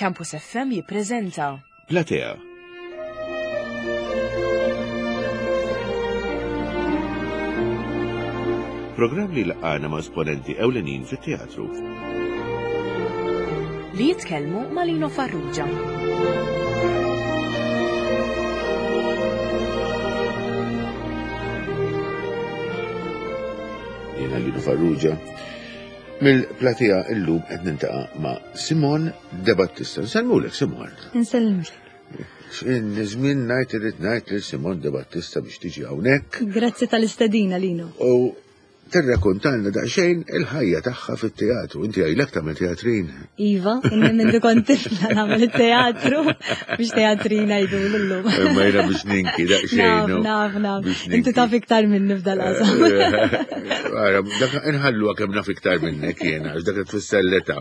Campus FM jippreżenta. Platea. Programm li laqana ma' esponenti ewlenin fit-teatru. Li jitkellmu ma' Lino Farrugia. Jiena Lino Farrugia. Mill-platea illum qed nintaqa' ma' Simon De Battista. Nsellmulek Simon. Nsellimlek. Żmien ngħid irrid ngħid lil Simon De Battista biex tiġi hawnhekk. Grazzi tal-istedina Lino. U tirrakontalna daqsxejn il-ħajja tagħha fit-teatru. Inti għajlek tagħmel teatrin. Iva, inni minn kont tifla nagħmel it-teatru biex teatrin għajdu l-lum. Imma jiena biex ninki daqsxejn. Naf, naf, naf. Inti taf iktar minni f'dal-qasam. Ara, dak inħallu kemm naf iktar minnek jiena, għax dak tfisser l-età.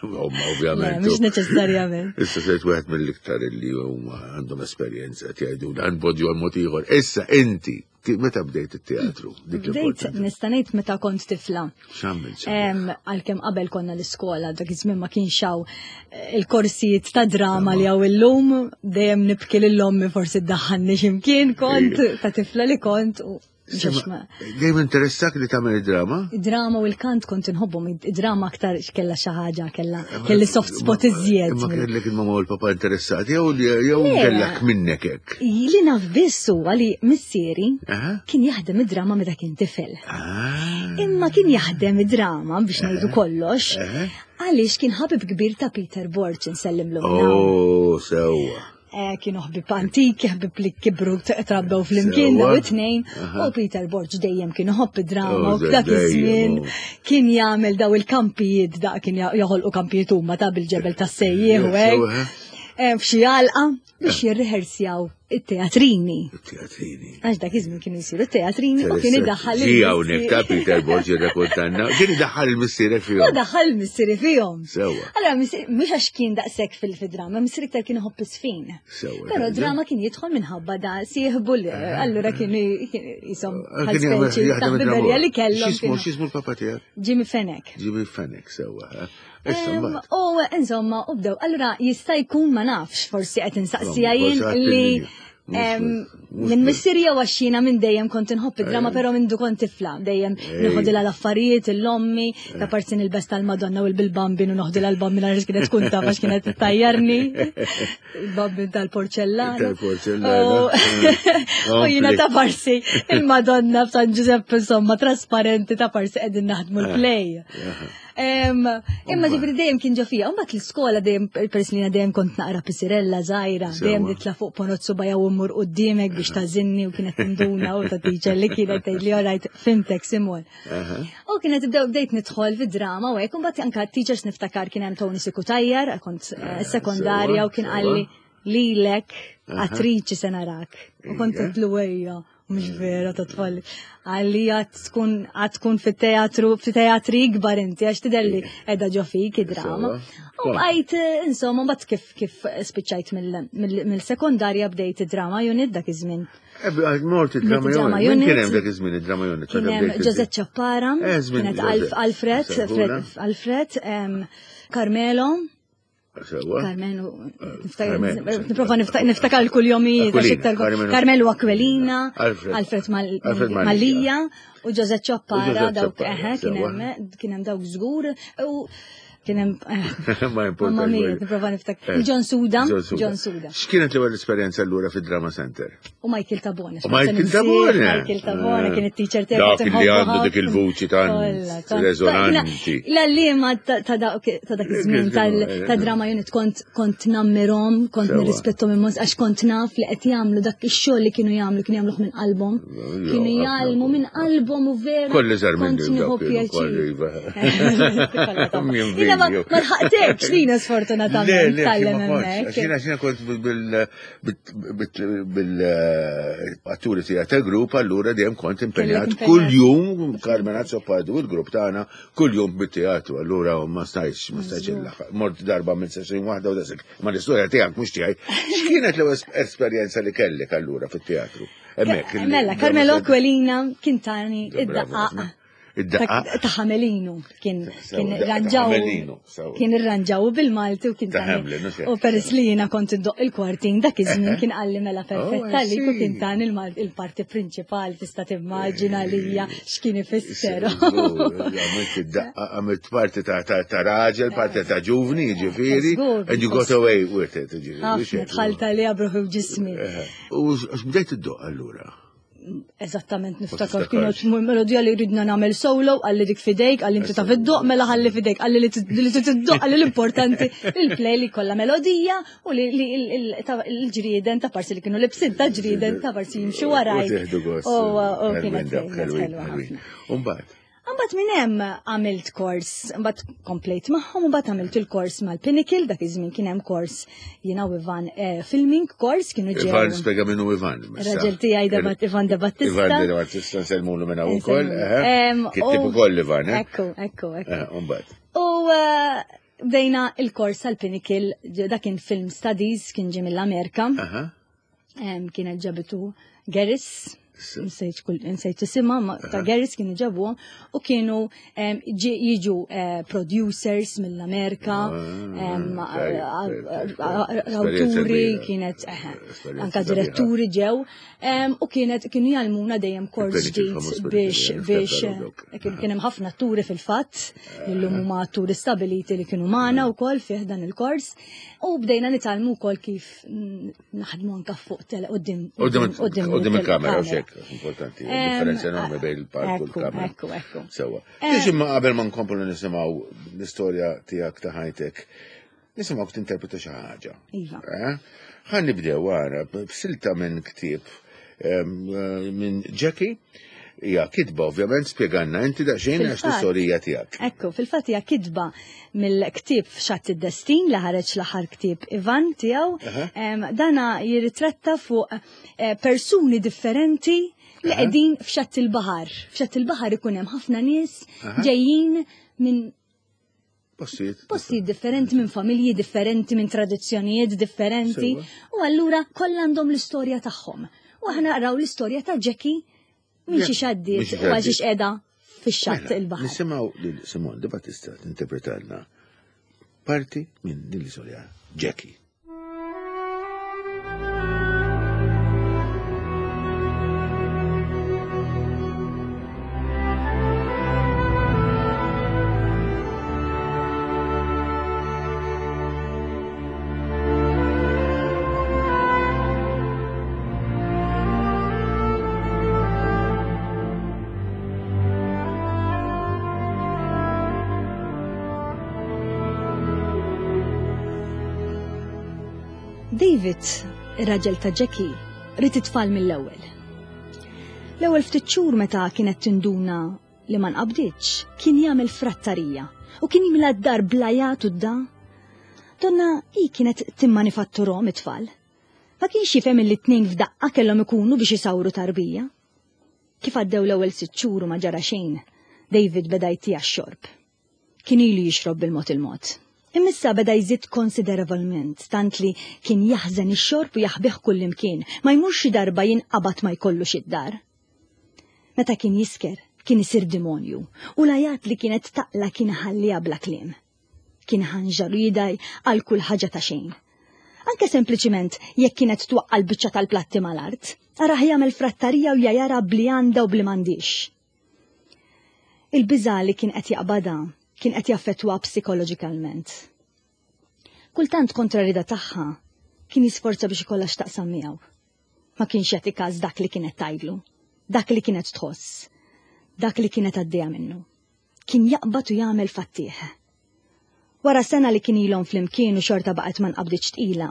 Omma, ovvjament. Mhux neċessarjament. Issa sejt wieħed mill-iktar li huma għandhom esperjenza qed jgħidu dan podju għal mod ieħor. Issa inti meta bdejt it-teatru? Bdejt nista' ngħid meta kont tifla. X'għamilt? Għalkemm qabel konna l-iskola dak iż-żmien ma kienx hawn eh, il-korsijiet ta' drama li hawn illum, dejjem nibki lil ommi forsi ddaħħalni x'imkien kont ta' tifla li kont u Dejjem interessak li tagħmel id-drama? Id-drama u l-kant kont inħobbhom, id-drama aktar kella xi ħaġa, kella kelli soft spot iżjed. Imma kellek il-mama u l-papa interessati jew jew kellek minnek hekk. Li naf biss huwa li missieri kien jaħdem id-drama meta kien tifel. Ah. Imma kien jaħdem id-drama biex ngħidu kollox għaliex kien ħabib kbir ta' Peter Borg insellimlu. Oh, sewwa. Eh, kienu ħbib antiki, ħbib li kibru trabbew fl-imkien daw it-tnejn, u Peter Borg dejjem kien iħobb id-drama u dak iż-żmien oh. kien jagħmel daw il-kampijiet da kien joħolqu kampijiet huma ta' bil-ġebel tas-sejjieħ u hekk. Eh, f'xi għalqa biex jirriħersjaw it-teatrini. It-teatrini. Għax dak iż-żmien kienu jsiru t-teatrini u kien idaħħal. Ġi hawnhekk ta' Peter Borg jirrakontanna, kien idaħħal il-missierek fihom. Daħħal il-missieri fihom. Sewwa. Allora mhux għax kien daqshekk fil-drama, missieri iktar kien iħobb isfin. Sewwa. Però drama kien jidħol minħabba da sieħbu li eh. allura kien jisom eh, kien jaħdem li kellhom. X'ismu x'ismu l-papa tiegħek? Jimmy Fenech. Jimmy Fenech sewwa. Eh. U insomma, u bdew, allura jista' jkun ma nafx, forsi qed insaqsija jien li minn missieri jew għax jiena minn dejjem kont inħobb id-drama però minn du kont tifla, dejjem noħodilha l-affarijiet, l-ommi, ta' parti nilbes tal-Madonna u l-bil-bambin u noħodilha l-bambin għaliex kienet tkun taf għax kienet tajjarni. Il-bambin tal-porċellana. Tal-porċellana. U jiena ta' parsi il-Madonna f'San Giuseppe insomma trasparenti ta' parsi qegħdin naħdmu l-play. Imma ġifri dejjem kien ġo fija, mbagħad l-iskola dejjem peress li dejjem kont naqra pisirella żgħira, dejjem nitla' fuq ponozzu bajja u mmur quddiemek biex tażinni u kienet tinduna u ta' teacher li kienet tgħid li alright fimtek Simon. U kienet bdew bdejt nidħol fid-drama u hekk, imbagħad anke teachers niftakar kien hemm Tony Sikutajjar, kont eh, sekondarja u kien qalli lilek attriċi se narak. U kont qed ejja. Mhux vera ta' tfal. Għalli għad tkun għad tkun fit-teatru, fit-teatri ikbar inti għax tidher li qiegħda ġo fik id-drama. U bqajt eh, insomma mbagħad kif kif spiċċajt mill-sekondarja bdejt id-drama unit dak iż-żmien. Eh, mort id-drama unit. Kien hemm dak iż-żmien id-drama unit. Kien hemm Ġożett Ċappara, eh, kienet Alfred, Alfred, Carmelo, Carmenu, niprofa niftakar l-kuljomijiet, Carmelu Aquilina, Alfred Malija, u Jose Ċoppara, dawk, eħe, kien hemm dawk żgur, u kien hemm. Eh, Ma importanti. Mia, niprofa niftakar. Eh, John Suda. John Suda. X'kienet l-ewwel esperjenza allura fid-Drama Center? U Michael Tabone. U Michael Tabone. Michael Tabone kien it-teacher tiegħi. Dak li għandu dik il-vuċi tant rezonanti. L-għalliema ta' dak iż-żmien tal-drama unit kont kont nammirhom, kont nirrispettom immens għax kont naf li qed jagħmlu dak ix-xogħol li kienu jagħmlu kienu jagħmluh minn qalbhom. Kienu jgħallmu minn qalbhom u vera. Kolli żar minn nieħu pjaċir. Jiena ma lħaqtekx lina sfortunatament tgħallem hemmhekk. Jiena jiena kont bil bil-atturi tiegħek tal-grupp allura dejjem kont impenjat kuljum Carmen Azzopardi u l-grupp tagħna kuljum bit-teatru allura ma stajtx ma stajtx il-laħaq. Mort darba minn session waħda u dasek. Ma l-istorja tiegħek mhux tiegħi. X'kienet l-ewwel esperjenza li kellek allura fit-teatru? Hemmhekk. Mela, Carmelo Aquilina kien tani id-daqqaq. Id-daqqa. Ta' Ħamelinu kien kien irranġaw. Kien irranġaw bil-Malti u kien ta' Hamlin. U peress li jiena kont indoq il-kwartin dak iż-żmien kien qalli mela oh, perfetta li u kien tan il-parti prinċipali tista' timmaġina li hija x'kien ifisser. Għamilt id-daqqa, għamilt parti ta' raġel, parti ta' ġuvni, ġifieri, and you got away with it. Ħafna dħalt għaliha bruħi u ġismi. U x'bdejt iddoq allura? Eżattament niftakar kienu melodija li ridna nagħmel solo, għalli dik fidejk, għalli inti taf iddoq, mela ħalli fidejk, għalli li tiddoq, għalli l-importanti il-play li kollha melodija u li l-ġrieden ta' parsi li kienu libsin ta' ġrieden ta' parsi jimxu waraj. U kienet ħelwa. Umbagħad. Mbagħad minn hemm għamilt kors, mbagħad komplejt magħhom, mbagħad għamilt il-kors mal-Pinnacle, dak iż-żmien kien hemm kors jiena u Ivan eh, filming kors kienu ġew. Ivan spjega minnu Ivan. Raġel tiegħi debat Ivan De Battista. Ivan De Battista nsellmulu minn hawn ukoll. Kittib ukoll Ivan, eh? Ekku, ekku, ekku. Mbagħad. U eh, bdejna il-kors tal-Pinnacle, dak kien film studies, kien ġie mill-Amerika. Kienet ġabitu Geris, nsejt isimha, ta' Geris kienu ġabuhom u kienu jiġu eh, producers mill-Amerika, ah, awturi, kienet eh, anka diretturi ġew, u kienet kienu jgħallmuna dejjem kors ġdid biex biex eh, kien hemm ħafna atturi fil-fatt, illum huma atturi stabiliti li kienu magħna wkoll fih dan il-kors, u bdejna nitgħallmu wkoll kif naħdmu anka fuq tele qudiem qudiem il-kamera u xek importanti differenza enormi bejn il-palk u l-kamera. Ekku, ekku. Sewa. Biex imma qabel ma nkomplu nisimgħu l-istorja tiegħek ta' ħajtek, nisimgħu tinterpreta xi ħaġa. Iva. Eh? Ħa nibdew għara b'silta minn ktieb eh, minn Jackie Hija kitba ovvjament spjegalna inti daqsxejn għax l-istorija tiegħek. Ekku, fil-fatt hija kitba mill-ktieb F'Xatt id-Destin li ħareġ l-aħħar ktieb Ivan tiegħu. Dana jirritratta fuq eh, persuni differenti li qegħdin f'xatt il-baħar. F'xatt il-baħar ikun hemm ħafna nies ġejjin minn Postijiet. Postijiet differenti minn familji differenti, minn tradizzjonijiet differenti. U allura kollha għandhom l-istorja tagħhom. U aħna naqraw l-istorja ta' Jackie minn xi xaddiet u għal xiex qiegħda fix-xatt mela, il-baħar. Nisimgħu lil Simon Di Battista tinterpretalna parti minn din l-istorja Jackie. David, ir-raġel ta' Jackie, ried it-tfal mill-ewwel. L-ewwel ftit xhur meta kienet tinduna li ma nqabditx, kien jagħmel frattarija u kien jimla d-dar bl-għajat u d-da. Donna hi kienet timmanifatturhom it-tfal. Ma kienx jifhem illi tnejn f'daqqa kellhom ikunu biex isawru tarbija. Kif għaddew l-ewwel sitt xhur u ma ġara xejn, David beda jtiha x-xorb. Kien ilu jixrob bil-mod il-mod. Imma issa beda jżid konsiderevolment, tant li kien jaħżen ix-xorb u jaħbih kullimkien, ma jmurx xi darba jinqabad ma jkollux id-dar. Meta kien jisker, kien isir dimonju, u l-għajat li kienet taqla' kien iħalliha bla kliem. Kien iħanġar u jidgħi għal kull ħaġa ta' xejn. Anke sempliċiment jekk kienet twaqqa' l-biċċa tal-platti mal-art, arah jagħmel frattarija u jgħajarha b'li għandha u b'li m'għandhiex. Il-biża' li kien qed jaqbadha kien qed jaffettwaha psikoloġikalment. Kultant kontra r-rieda tagħha kien jisforza biex ikollha x'taqsam miegħu. Ma kienx jagħti każ dak li kienet tgħidlu, dak li kienet tħoss, dak li kienet għaddejja minnu. Kien jaqbad u jagħmel fattih. Wara sena li kien ilhom flimkien u xorta baqgħet ma nqabditx tqila,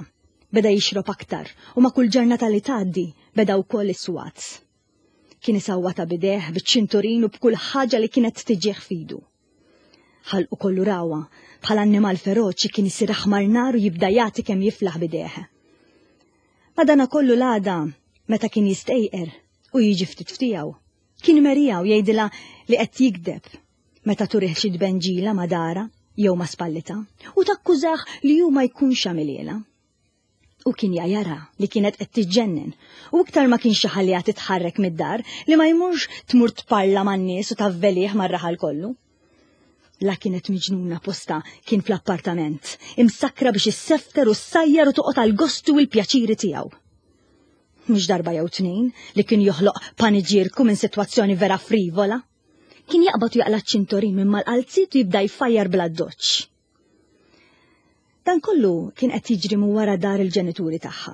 beda jixrob aktar u ma' kull ġurnata li tgħaddi beda wkoll is-swat. Kien isawwatha b'idejh, biċ-ċinturin u b'kull ħaġa li kienet tiġih f'idu. Ħalqu kollu rawha, bħal annimal feroċi kien isir aħmar nar u jibda jagħti kemm jiflaħ b'idejh. Madanakollu l-għada, meta kien jistejqer u jiġi ftit f'tiegħu, kien imeriha u jgħidilha li qed jigdeb meta turih xi tbenġila ma' darha jew ma' spallitha u takkużah li hu ma jkunx għamilhielha. U kien jara li kienet qed tiġġennen u iktar ma kienx iħalliha titħarrek mid-dar li ma jmurx tmur tparla man-nies u tavvelih mar-raħal kollu. La kienet miġnuna posta kien fl-appartament, imsakkra biex issefter u ssajjar u toqgħod għall-gosti u l-pjaċiri tiegħu. Mhux darba jew tnejn li kien joħloq paniġierku minn sitwazzjoni vera frivola. Kien jaqbad u jaqla' ċ-ċintorin minn mal-qalziet u jibda jfajjar bl-addoċċ. Dan kollu kien qed jiġri minn wara dar il-ġenituri tagħha.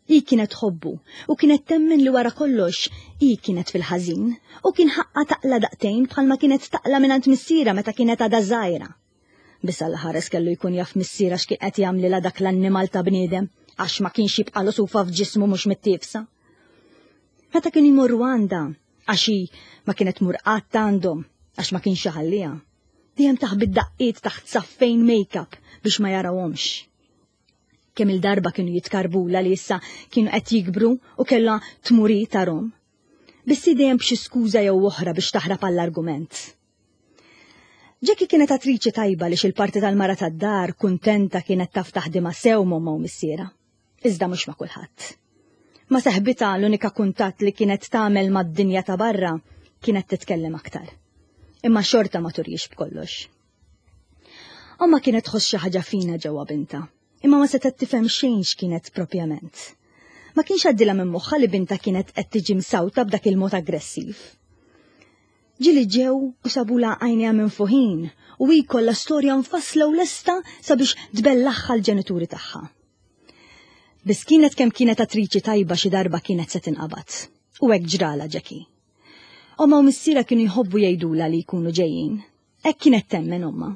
Hi kienet tħobbu u kienet temmen li wara kollox hi kienet fil-ħażin u kien ħaqqa taqla daqtejn bħalma kienet taqla mingħand missierha meta kienet għadha żgħira. Biss Alla ħares kellu jkun jaf missierha x'kien qed jagħmlilha dak l-annimal ta' bniedem għax ma kienx jibqalu sufa f'ġismu mhux mittiefsa. Meta kienu jmorru għandha għax hi ma kienet tmur qatt għandhom għax ma kienx iħalliha. Dejjem taħbi d-daqqiet taħt saffejn make-up biex ma jarawhomx. Kemm il-darba kienu jitkarbula li issa kienu qed jikbru u kellha tmuri tarhom. Biss dejjem b'xi skuża jew oħra biex taħrab għall-argument. Jackie kienet attriċi tajba li xil-parti tal-mara tad-dar kuntenta kienet taf taħdimha sew m'ommha u missiera. Iżda mhux ma' kulħadd. Ma' seħbitha l-unika kuntatt li kienet tagħmel mad-dinja ta' barra kienet titkellem aktar. Imma xorta ma turjix b'kollox. Omma kienet tħoss xi ħaġa fina ġewwa binta, imma ma setgħet tifhem xejn x'kienet propjament. Ma kienx għaddilha minn moħħha li binta kienet qed tiġi msawta b'dak il-mod aggressiv. Ġieli ġew u sabulha għajnejha minfuħin u hi kollha storja mfassla u lesta sabiex tbellaħħa l-ġenituri tagħha. Biss kienet kemm kienet attriċi tajba xi darba kienet se tinqabad. U hekk ġralha Jackie. Omma u missierha kienu jħobbu jgħidulha li jkunu ġejjin. Hekk kienet temmen omma.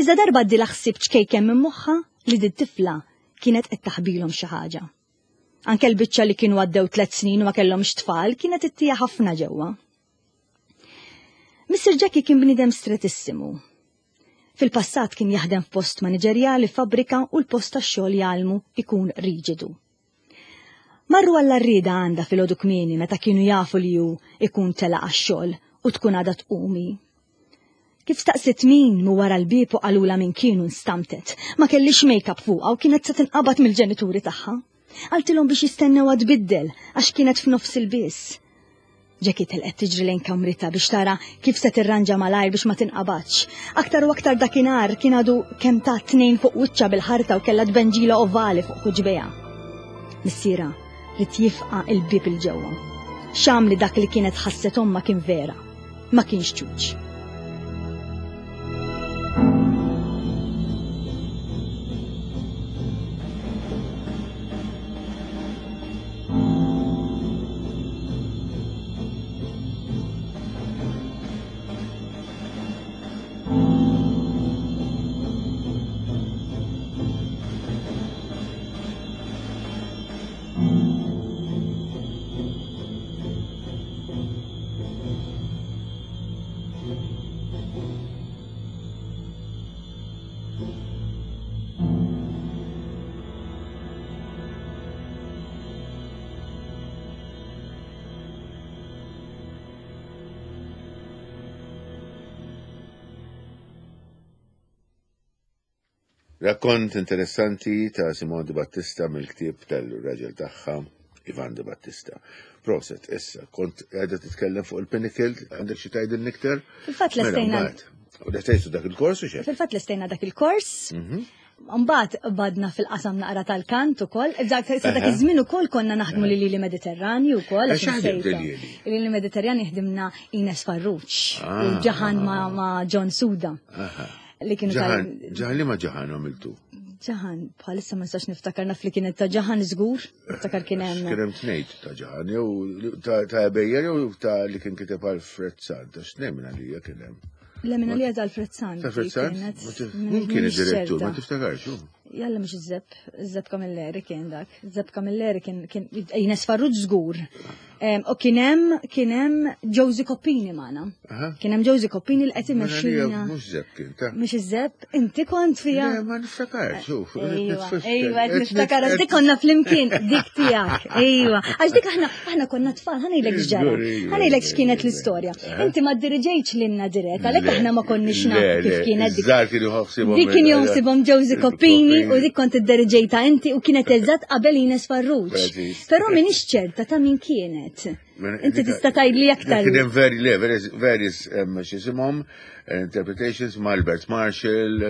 Iżda darba għaddilha ħsieb ċkejken minn moħħha li din tifla kienet qed taħbilhom xi ħaġa. Anke l-biċċa li kienu għaddew tlet snin u ma kellhomx tfal kienet ittija ħafna ġewwa. Mr. Jackie kien bniedem stretissimu. Fil-passat kien jaħdem f'post maniġerjali f'fabbrika u l-post tax-xogħol jgħallmu ikun riġidu. Marru għall-arrieda għandha filgħodu kmieni meta kienu jafu li hu ikun telaq għax-xogħol u tkun għadha tqumi. Kif staqsiet min mu wara l-bieb u qalulha min kienu nstamtet. Ma kellix make-up fuqha u kienet se tinqabad mill-ġenituri tagħha. Qaltilhom biex jistennewha tbiddel għax kienet f'nofs il-biss. Jackie telqet tiġri lejn kamritha biex tara kif se tirranġa malajr biex ma tinqabadx. Aktar u aktar dakinhar kien għadu kemm ta' tnejn fuq wiċċha bil-ħarta u kellha tbenġila ovali fuq ħuġbejha. Missiera ried jifqa' il-bieb il ġewwa. Xam li dak li kienet ħasset ommha kien vera. Ma kienx ċuċ. Rakkont interessanti ta' Simon Di Battista mill-ktieb tal-raġel tagħha Ivan Di Battista. Proset, issa, kont qiegħda titkellem fuq il-Pinnacle, għandek xi tgħidilni iktar? Fil-fatt Mela, lestejna. mbagħad. U lestejtu dak il-kors u xejn? Fil-fatt lestejna dak il-kors. Mhm. Mbagħad badna fil-qasam naqra tal-kant ukoll. Dak sa dak iż-żmien ukoll konna naħdmu lil Lili Mediterranju wkoll. Eh, x'ħadimt lil Lili? Lili Mediterranju ħdimna Ines Farrugia u ah. Ġaħan ma' John Suda. Li kienu tal. Ġaħan li ma ġaħan għamiltu? Ġaħan, bħalissa ma nistax niftakar naf li kienet ta' ġaħan żgur, niftakar kien hemm. Kien hemm tnejt ta' ġaħan, jew ta' Bejjer jew ta' li kien kiteb Alfred Sant, għax tnejn minn għalija kien hemm. Le minn għalija ta' Alfred Sant. Ta' Alfred Sant? Min kien id-direttur, ma tiftakarx. Jalla mhux iż-żeb, iż-żeb Kamilleri kien dak. Iż-żeb Kamilleri kien kien Ines Farrugia żgur. U kien hemm kien hemm Josie Coppini magħna. Kien hemm Josie Coppini li qed Mela imexxina. Mhux żebb kien ta' Mhux iż-żebb, inti kont fija. Le, ma niftakar, xuf. Ejwa, ejwa, qed niftakar, dik konna flimkien, dik tiegħek. Ejwa, għax dik aħna aħna konna tfal, ħa ngħidlek x'ġara. Ħa ngħidlek x'kienet l-istorja. Inti ma ddiriġejtx lilna dirett, għalhekk aħna ma konniex nafu kif kienet dik. Żgħar kienu ħossibhom. Dik kien joħsibhom Josie Coppini u dik kont idderiġejta inti u kienet eżatt qabel Ines Farrugia. Preċiż. Però m'iniex ċerta ta' min kienet. Inti tista' tgħidli aktar. Kien hemm very, le, various, various x'isimhom, interpretations ma' Albert Marshall,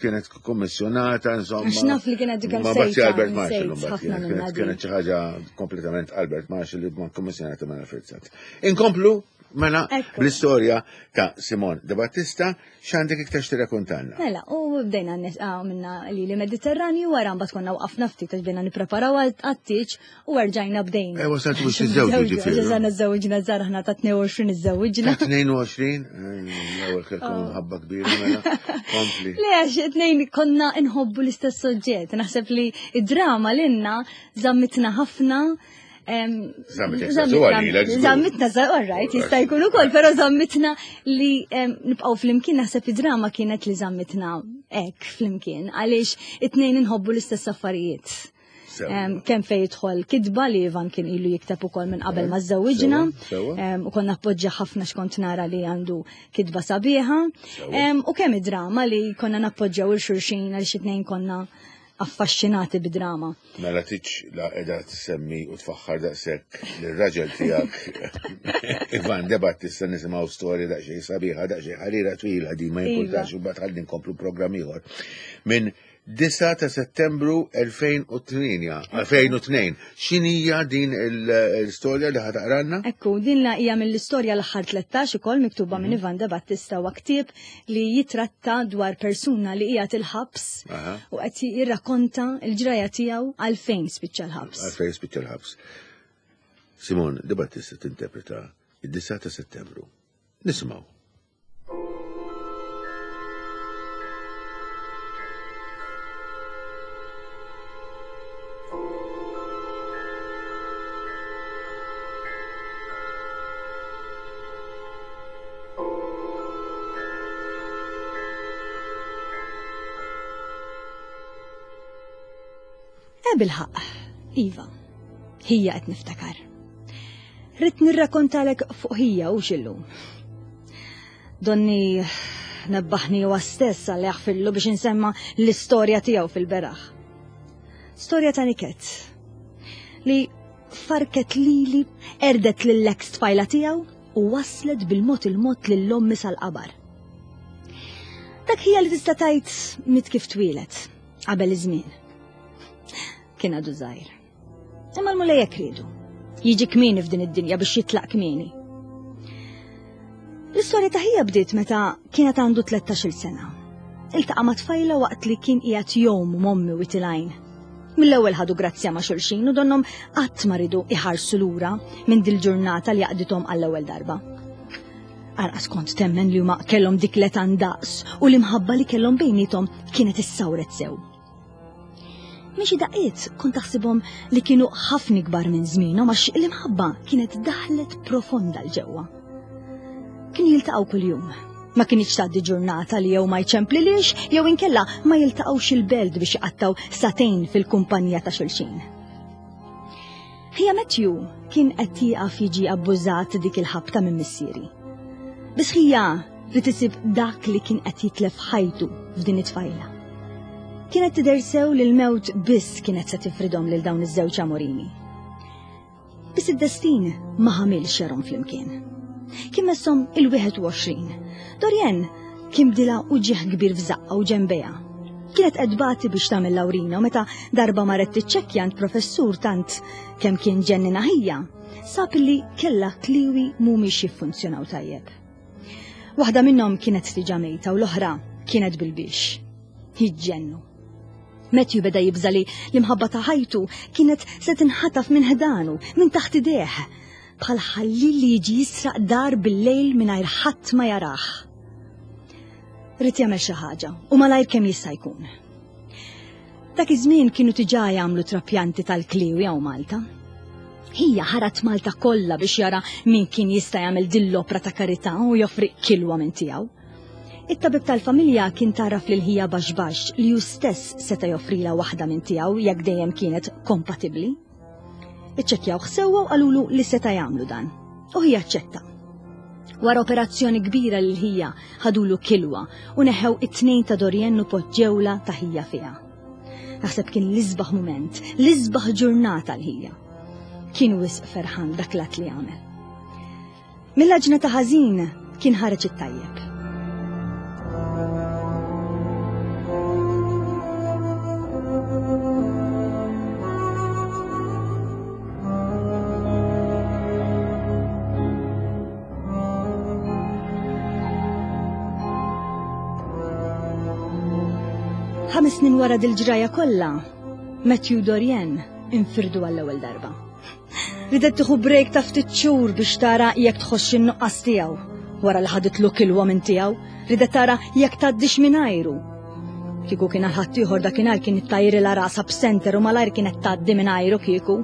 kienet kommissjonata, insomma. Għax naf li kienet dik Ma Bazzi sejta, Albert Marshall, nsejt mbagħad ħafna kienet, minnha kienet, din. kienet xi ħaġa kompletament Albert Marshall li ma kommissjonata minn Alfred Sant. Inkomplu mela Ekku. bl-istorja ta' Simon De Battista, x'għandek iktar x'tirrakkontalna? Mela, u bdejna nisqaw minna li li Mediterranju, wara mbagħad konna waqafna ftit għax bdejna nippreparaw għat-tieġ u rġajna bdejna. Eh, wasaltu biex tiżżewġu ġifieri. Ġeżana żewġna żgħar aħna ta' 22 iżżewġna. Ta' 22, l-ewwel kellkom mħabba kbira mela. Kompli. Le, għax it-tnejn konna nħobbu l-istess soġġett. Naħseb li id-drama l-inna zammitna ħafna. Zammitek żagħżugħa lilek, żgur. Zammitna, all right, jista' jkun ukoll, però zammitna li nibqgħu flimkien naħseb id-drama kienet li zammitna hekk flimkien għaliex it-tnejn inħobbu l-istess affarijiet. Sewa. Kemm fejn jidħol kitba li Ivan kien ilu jikteb ukoll minn qabel ma żewwiġna, Sewa, sewa. u konna appoġġja ħafna x'kont nara li għandu kitba sabiħa. Sewa. U kemm id-drama li konna nappoġġjaw il xulxin għal xi tnejn konna affaxxinati bid-drama. Mela tiċ la qiegħda tsemmi u tfaħħar daqshekk lir-raġel tiegħek Ivan De Battista nisimgħu storja daqsxejn sabiħa, daqsxejn ħarira twila di ma jimpurtax u mbagħad ħalli nkomplu programm ieħor. Minn 9 ta' Settembru 2008, 2002. X'inhija din l-istorja li ħataqranna? Ekku, din la hija mill-istorja l-aħħar 13 ukoll miktuba minn Ivan De Battista huwa ktieb li jitratta dwar persuna li hija il-ħabs u qed jirrakkonta l-ġraja tiegħu għalfejn spiċċa l-ħabs. Għalfejn spiċċa l-ħabs. Simon De Battista tinterpreta id-9 ta' Settembru. Nisimgħu. Bilħaq, Iva, hija qed niftakar. Ridt nirrakkontalek fuq hija u xillu. Donni nebbaħni huwa stess għal jaħfillu biex insemma l-istorja tiegħu fil-beraħ. Storja ta' niket li farket lili, erdet lill-ex tfajla tiegħu u waslet bil-mod il-mod lill-ommi sal-qabar. Dak hija li tista' tgħid mit kif twieled qabel iż-żmien. Kien għadu żgħir. Imma l-Mulej hekk riedu. Jiġi kmieni f'din id-dinja biex jitlaq kmieni. L-istorja ta' ħija bdiet meta kienet għandu 13-il sena. Iltaqa' ma' tfajla waqt li kien qiegħed jgħum m'ommi u tilgħin. Mill-ewwel ħadu grazzja ma' xulxin u donhom qatt ma ridu iħarsu lura minn dil-ġurnata li għaqdithom għall-ewwel darba. Anqas kont temmen li huma kellhom dik l-età ndaqs u l-imħabba li kellhom bejniethom kienet issawret sew. Minn xi daqqiet kont taħsibhom li kienu ħafna ikbar minn żmienhom għax l-imħabba kienet daħlet profonda l ġewwa. Kienu jiltaqgħu kuljum. Ma kinitx tgħaddi ġurnata li jew ma jċemplilix jew inkella ma jiltaqgħux il-belt biex iqattgħu sagħtejn fil-kumpanija ta' xulxin. Ħija Matthew kien qed jieqaf jiġi abbużat dik il-ħabta minn missieri. Biss ħija li tisib dak li kien qed jitlef ħajtu f'din it-tfajla. Kienet tidher sew li l-mewt biss kienet se tifridhom lil dawn iż-żewġ amorini. Biss id-destin ma ħamilx jarhom flimkien. Kien messhom il-21. Dorien kien bdilha uġigħ kbir f'żaqqa u ġenbejha. Kienet qed tbati biex tagħmel l-awrina u meta darba marret tiċċekkja għand professur tant kemm kien ġennina ħija, sab li kellha kliwi mhumiex jiffunzjonaw tajjeb. Waħda minnhom kienet diġà mejta u l-oħra kienet bil-biex. Jiġġennu. Matthew beda jibża' li l-imħabba ta' ħajtu kienet se tinħataf minn ħdanu, minn taħt idejh, bħal ħallil li jiġi jisraq dar bil-lejl mingħajr ħadd ma jarah. Ried jagħmel xi ħaġa u malajr kemm jista' jkun. Dak iż-żmien kienu diġà jagħmlu trapjanti tal-kliwi hawn Malta. Ħija ħarat Malta kollha biex jara min kien jista' jagħmel din l-opra ta' karità u joffri kilwa minn tiegħu. It-tabib tal-familja kien taraf lil ħija baxx baxx li hu stess seta' joffrilha waħda minn tiegħu jekk dejjem kienet kompatibbli. Iċċekkjawh sewwa u qalulu li seta' jagħmlu dan. U ħija aċċetta. Wara operazzjoni kbira lil ħija ħadulu kilwa u neħew it-tnejn ta' Dorien u poġġewla ta' ħija fiha. Naħseb kien l-isbaħ mument, l-isbaħ ġurnata l-ħija. Kien wisq ferħan dak l-att li għamel. Mill-għaġna ta' ħażin kien ħareġ it-tajjeb. Ħames snin wara dil-ġraja kollha, Matthew Dorien infirdu għall-ewwel darba. Ridet tieħu break ta' ftit xhur biex tara jekk tħossx in-nuqqas tiegħu. Wara li ħaditlu kilwa minn tiegħu, ridet tara jekk tgħaddix mingħajru. Kieku kien għal ħaddieħor dakinhar kien ittajrilha rasha b'senter u malajr kienet tgħaddi mingħajru kieku.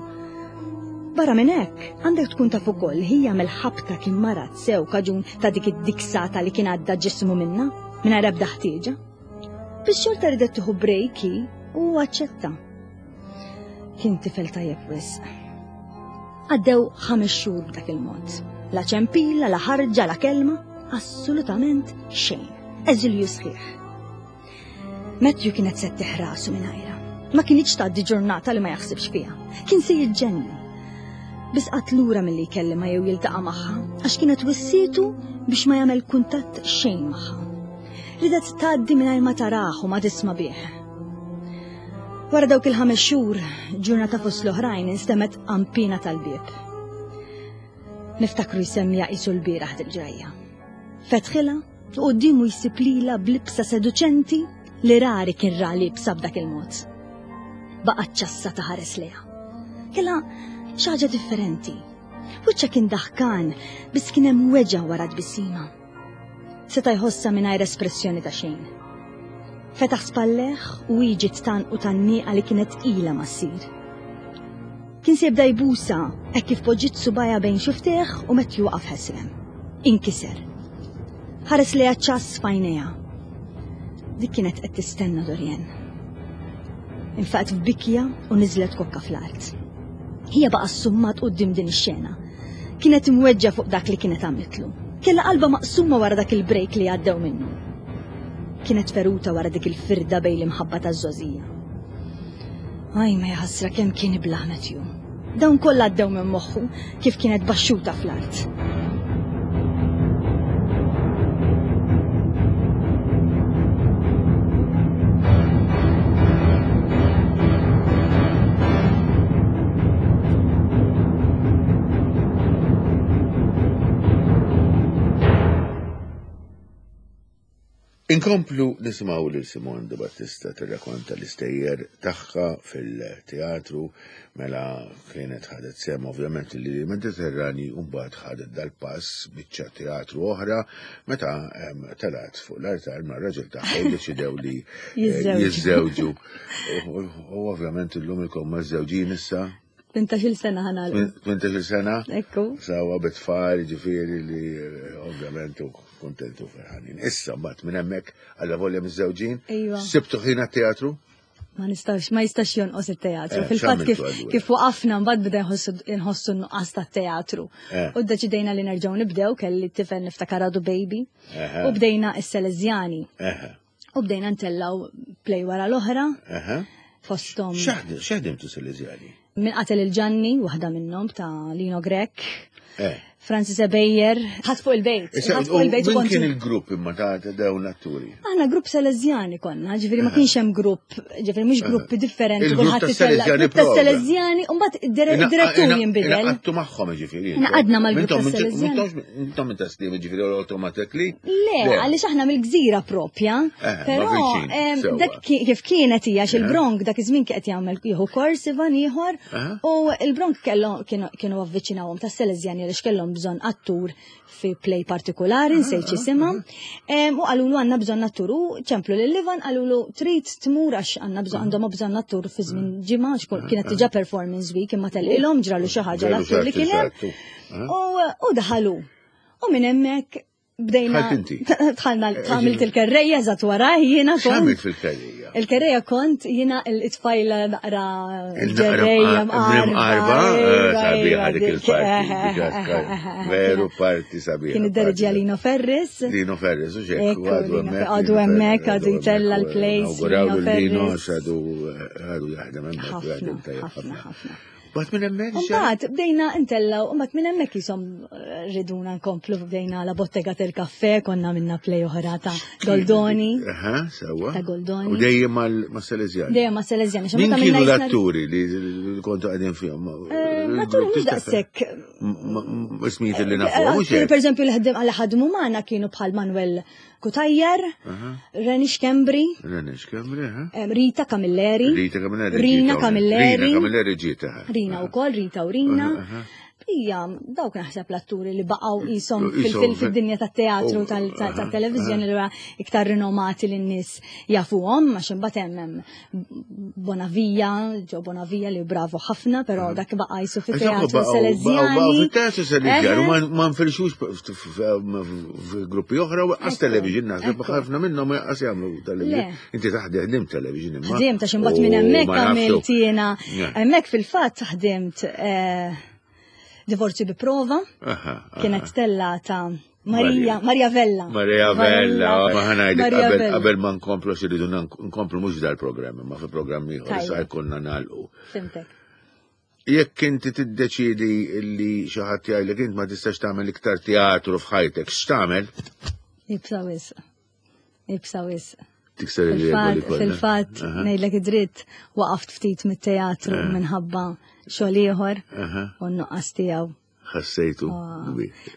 Barra minn hekk, għandek tkun taf ukoll ħija mill-ħabta kien marad sew kaġun ta' dik id-diksata li kien għadda ġismu minnha, mingħajr ebda ħtieġa. Biex xorta ridet tieħu break hi u aċċetta. Kien tifel tajjeb wisq. Għaddew ħames xhur b'dak il-mod. La ċempila, la ħarġa, la kelma, assolutament xejn. Eżilju sħiħ. Matthew kienet se rasu minn Ma kienx tgħaddi ġurnata li ma jaħsibx fiha. Kien se jiġġenni. Biss qatt lura milli jkellimha jew jiltaqa' magħha għax kienet wissietu biex ma jagħmel kuntatt xejn magħha. Ridet tgħaddi mingħajr ma tarah u ma tisma' bih. Wara dawk il-ħames xhur, ġurnata fost l-oħrajn instemgħet qampina tal-bieb. Niftakru jsemmija qisu l-bieraħ dil-ġrajja. Fetħilha u quddiemu jsib lilha b'libsa seduċenti li rari kien ra libsa b'dak il-mod. Baqgħet ċassa ta' ħares lejha. Kellha xi ħaġa differenti. Wiċċha kien daħkan, biss kien hemm weġgħa wara tbissima. Seta' jħossha mingħajr espressjoni ta' xejn. Fetaħ spalleħ u hi ġiet tgħannqu tgħanniqa li kienet ilha ma ssir. Kien se jibda jbusha hekk kif poġġiet subgħajha bejn xuftejh u Matthew waqaf ħesrem. Inkiser. Ħares lejha ċass f'għajnejha. Dik kienet qed tistenna Dorien. Infaqet f'bikja u niżlet kokka fl-art. Hija baqa' ssummat quddiem din ix-xena. Kienet imweġġa' fuq dak li kienet għamlitlu. Kellha qalbha maqsuma wara dak il-break li għaddew minnu. Kienet feruta wara dik il-firda bejn l-imħabba taż-żgħożija. Aj ma jaħasra kemm kien iblah Matthew. Dawn kollha għaddew minn moħħu kif kienet baxxuta fl-art. Inkomplu nisimgħu lil Simon De Battista tirrakonta l-istejjer tagħha fil-teatru mela kienet ħadet sem ovvjament li Mediterrani u mbagħad ħadet dal-pass biċċa teatru oħra meta telgħet fuq l-artar ma' raġel tagħha u deċidew li eh, jiżżewġu. U ovvjament illum ilkom ma' żewġin issa. 18 sena ħanal. 18 sena? Ekku. Sawa bit-tfal, ġifieri li eh, ovvjament u kontentu ferħanin. Issa mbagħad minn hemmhekk għalla volja miż-żewġin. Iva. Sibtu ħin teatru Ma nistax, ma jistax jonqos it-teatru. Eh, Fil-fatt kif, kif waqafna mbagħad beda nħossu n-nuqqas tat-teatru. Eh. U ddeċidejna li nerġgħu nibdew kelli t-tifel niftakar għadu baby. U bdejna s-Selezjani. U bdejna ntellaw play wara l-oħra. Fostom. X'ħdimtu Salesiani? Min qatel il-Ġanni, waħda minnhom ta' Lino Grech. Eh. Francis Ebejer, ħadd fuq il-bejt. Ħadd fuq il-bejt. Min kien il-grupp imma ta' dawn l-atturi? Aħna grupp Salesiani konna, ġifieri ma eh. kienx hemm grupp, ġifieri mhux eh. gruppi differenti, kulħadd itella' grupp ta' Salesiani, u mbagħad id-direttur jinbidel. Għattu magħhom ġifieri. Naqadna mal-grupp ta' Salesiani. Intom minn taslim ġifieri automatically? Le, għaliex aħna mill-gżira propja. Eh, però dak kif kienet hija il-Bronk dak iż-żmien kien qed jagħmel jieħu kors Ivan ieħor u il-Bronk kellhom kienu avviċinawhom tas-Salesiani għaliex kellhom bżonn attur fi play partikolari, nsejt x'isimha. U qalulu għandna bżonn attur u ċemplu lil Ivan qalulu trid tmur għax għandna bżonn għandhom bżonn attur fi żmien ġimgħa għax kienet diġà performance week imma telqilhom ġralu xi ħaġa l-attur li kien hemm. U daħalu. U minn hemmhekk bdejna. Tħalna għamilt il-kerreja eżatt wara jiena kont. X'għamilt fil-kerreja? Il-kerreja kont jiena il-tfajla naqra ġerreja mqarba. Eh, sabiħa dik il-parti. Veru parti sabiħa. Kien id-derġa Lino Ferris. Lino Ferris, u xek. Għadu hemmhekk, għadu jtella l-place. Lino Lino għadu għadu jaħdem hemmhekk. Ħafna, ħafna. Bat minn hemmhekk. Mbagħad bdejna ntellaw, mbagħad minn hemmhekk jisom eh, riduna nkomplu bdejna la bottega del kaffe, konna minna play oħra ta' Goldoni. Aha, sewwa. Ta' Goldoni. U dejjem ma' Salesiani. Dejjem ma' Salesiani. Min kienu l-atturi li kontu qegħdin fihom? Eh, l-atturi mhux daqshekk. Ismijiet li nafu. Eh, per eżempju, li ħadmu magħna kienu bħal Manuel Kutajjar, Reni Xkembri, Reni Xkembri, Rita Camilleri, Rita Camilleri, Rina Camilleri, Rina Camilleri ġieta. Rina wkoll, Rita u Rina. Ija, dawk naħseb l-atturi li baqgħu qishom fil-dinja tat-teatru oh, tat-televiżjoni li iktar rinomati li n-nies jafuhom, għax imbagħad hemm Bonavija, ġo Bonavija li bravo ħafna, però dak baqa' jisu fit-teatru Salesiani. Fit-teatru Salesiani, ma nfirxux f'gruppi oħra u għas television naħseb ħafna minnhom għas jagħmlu television. Inti taħdem ħdimt television imma. Ħdimt għax imbagħad minn hemmhekk għamilt jiena. Hemmhekk fil-fatt ħdimt eh, divorzju bi prova. Kienet tellata Marija, Marija Vella. Marija Vella, ma ħanajdek qabel ma nkomplu xi rridu nkomplu mhux dal-programm, ma fi programm ieħor sa jkollna nagħlqu. Fimtek. Jekk inti tiddeċiedi li xi ħadd jgħidlek int ma tistax tagħmel iktar teatru f'ħajtek, x'tagħmel? Ibsa wisq. Ibsa wisq. Tikser il-regoli kollha. Fil-fatt, ngħidlek id-dritt, waqaft ftit mit-teatru minħabba xogħol ieħor u n-nuqqas tiegħu. Ħassejtu.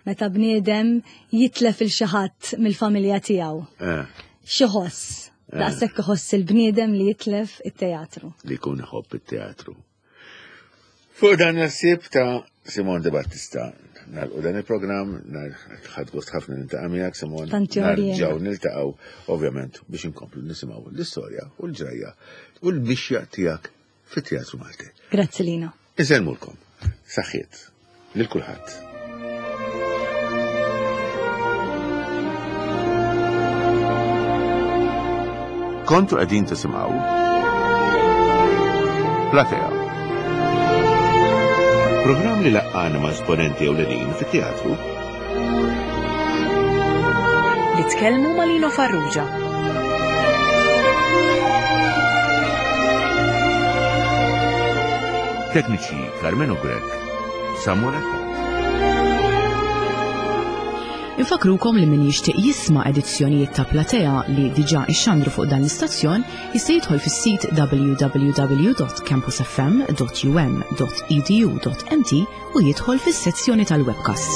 Meta bniedem jitlef il xi ħadd mill-familja tiegħu. Eh. Xi ħoss. Eh. Daqshekk iħoss il-bniedem li jitlef it-teatru. Li jkun iħobb it-teatru. Fuq dan il-ħsieb ta' Simon De Battista, nagħlqu dan il-programm, ħadd gost ħafna niltaqa' miegħek Simon. Nerġgħu niltaqgħu ovvjament biex inkomplu nisimgħu l-istorja u l-ġrajja u l-mixja tiegħek fit-Teatru Malti. Grazzi Lino. Insellmulkom. Saħħiet lil kulħadd. Kontu qegħdin tisimgħu Platea. Programm li laqqana ma' esponenti ewlenin fit-teatru. Li tkellmu ma' Lino Farrugia. Tekniċi Carmenu Grech, Samuel Attard. Infakrukom li min jixtieq jisma' edizzjonijiet ta' Platea li diġà ixxandru fuq dan l-istazzjon jista' jidħol fis-sit www.campusfm.um.edu.mt u jidħol fis-sezzjoni tal-webcasts.